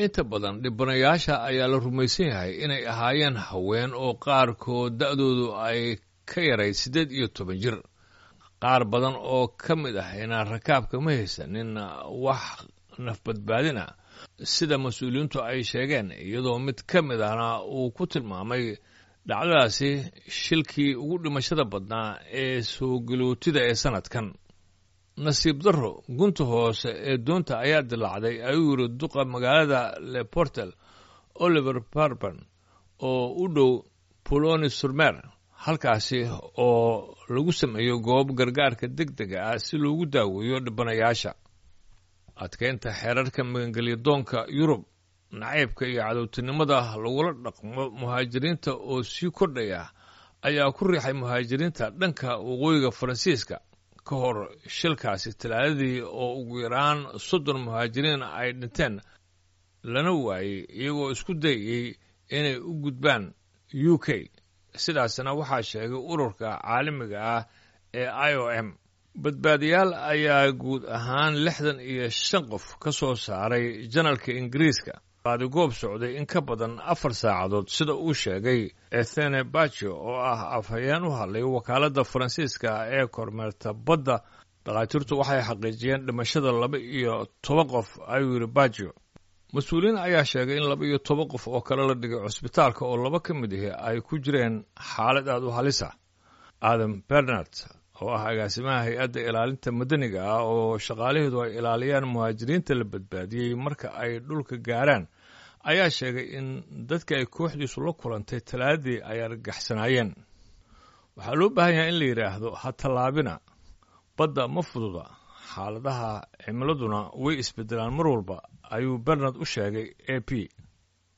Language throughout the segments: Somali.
Inta badan dhibanayaasha ayaa la rumaysan yahay inay ahaayeen haween oo qaarkood da'doodu ay ka yarayd 18 jir. Qaar badan oo ka mid ahina rakaabka ma haysanin wax nafbadbaadina, sida mas-uuliyiintu ay sheegeen, iyadoo mid ka mid ahna uu ku tilmaamay dhacdadaasi shilkii ugu dhimashada badnaa ee soo galootida ee sannadkan. "Nasiib darro, gunta hoose ee doonta ayaa dilaacday," ayuu yiri duqa magaalada Le Portel, Oliver Barban, oo u dhow Poloni Surmer, halkaasi oo lagu sameeyo goob gargaarka degdega ah si loogu daaweeyo dhibanayaasha. Adkeynta xeerarka magangelyadoonka Yurub, nacaybka iyo cadowtinimada lagula dhaqmo muhaajiriinta oo sii kordhaya ayaa ku riixay muhaajiriinta dhanka waqooyiga Faransiiska ka hor shilkaasi Talaadadii, oo ugu yaraan 30 muhaajiriin ay dhinteen lana waayey iyagoo isku dayayey inay u gudbaan UK. Sidaasna waxaa sheegay ururka caalamiga ah ee IOM. Badbaadiyaal ayaa guud ahaan 65 qof ka soo saaray janalka Ingiriiska baadigoob socday in ka badan 4 saacadood, sida uu sheegay Ethene Bajo, oo ah afhayeen u hadlay wakaaladda Faransiiska ee kormeerta badda. "Dhakhaatiirtu waxay xaqiijiyeen dhimashada 12 qof," ayuu yidhi Bajo. Mas-uuliyiin ayaa sheegay in 12 qof oo kale la dhigay cusbitaalka, oo laba ka mid ihi ay ku jireen xaalad aad u halis ah. Adam Bernard, oo ah agaasimaha hay-adda ilaalinta madaniga ah oo shaqaalaheedu ay ilaaliyaan muhaajiriinta la badbaadiyey marka ay dhulka gaaraan, ayaa sheegay in dadka ay kooxdiisu la kulantay Talaadadii ay argagaxsanaayeen. "Waxaa loo baahan yahay in la yidhaahdo ha tallaabina. Badda ma fududa, xaaladaha cimiladuna way isbedelaan mar walba," ayuu Bernard u sheegay AP.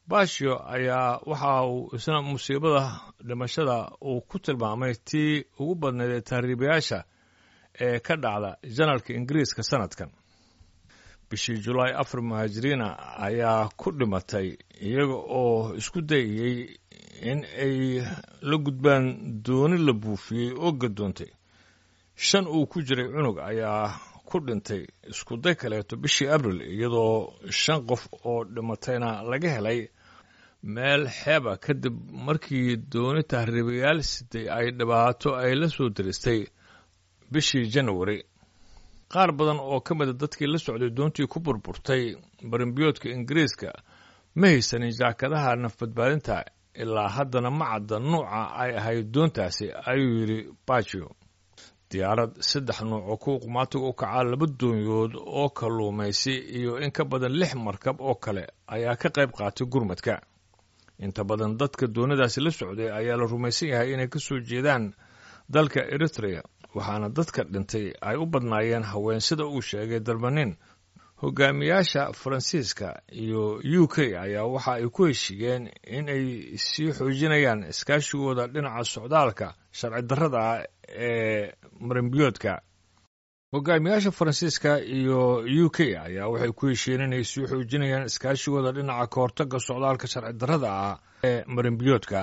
Bashio ayaa waxa uu isna musiibada dhimashada uu ku tilmaamay tii ugu badnayd ee tahriibayaasha ee ka dhacda janalka Ingiriiska sanadkan. Bishii Julaay, afar muhaajiriina ayaa ku dhimatay iyaga oo isku dayayey in ay la gudbaan dooni la buufiyey oo gadoontay. Shan uu ku jiray cunug ayaa ku dhintay iskuday kaleeto bishii Abril, iyadoo shan qof oo dhimatayna laga helay meel xeeba kadib markii dooni tahriibayaal siday ay dhibaato ay la soo diristay bishii Janawari. Qaar badan oo ka mida dadkii la socday doontii ku burburtay barimbiyoodka Ingiriiska ma haysanin jaakadaha nafbadbaadinta. Ilaa haddana ma cadda nuuca ay ahayd doontaasi, ayuu yidhi Bajo. Diyaarad saddex nuuc oo kuwa qumaatiga u kacaa, laba doonyood oo kalluumaysi iyo in ka badan lix markab oo kale ayaa ka qayb qaatay gurmadka. Inta badan dadka doonidaasi la socday ayaa la rumaysan yahay inay ka soo jeedaan dalka Eritrea, waxaana dadka dhintay ay u badnaayeen haween, sida uu sheegay Darmanin. Hogaamiyaasha Faransiiska iyo UK ayaa waxa ay ku heshiiyeen in ay sii xoojinayaan iskaashigooda dhinaca socdaalka sharci darrada ah ee marinbiyoodka. Hogaamiyaasha Faransiiska iyo UK ayaa waxay ku heshiiyeen inay sii xoojinayaan iskaashigooda dhinaca kahortagga socdaalka sharci darrada ah ee marinbiyoodka.